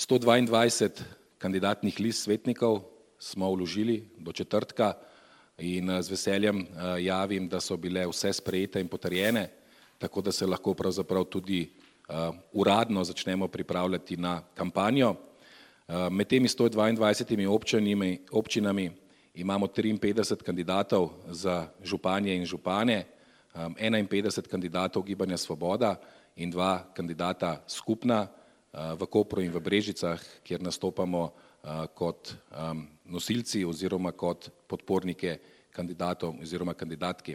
122 kandidatnih list svetnikov smo vložili do četrtka in z veseljem javim, da so bile vse sprejete in potrjene, tako da se lahko pravzaprav tudi uradno začnemo pripravljati na kampanjo. Med temi 122 občinami imamo 53 kandidatov za županje in župane, 51 kandidatov Gibanja Svoboda in 2 kandidata skupna v Kopru in v Brežicah, kjer nastopamo kot nosilci oziroma kot podpornike kandidatov oziroma kandidatki.